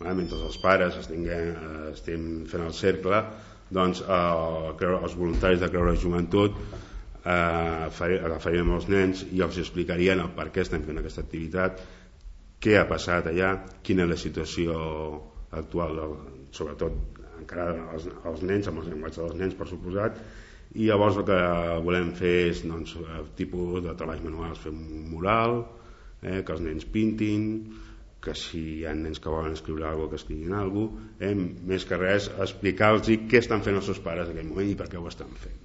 mentre els pares estem fent el cercle, doncs els voluntaris de Creure Joventut agafarien els nens i els explicarien el per què estem fent aquesta activitat, què ha passat allà, quina és la situació actual, sobretot encara als nens, amb el llenguatge dels nens, per suposat. I llavors el que volem fer és tipus de treballs manuals, fer un mural, que els nens pintin, que si hi ha nens que volen escriure alguna cosa, que escriguin alguna cosa, més que res explicar-los què estan fent els seus pares en aquell moment i per què ho estan fent.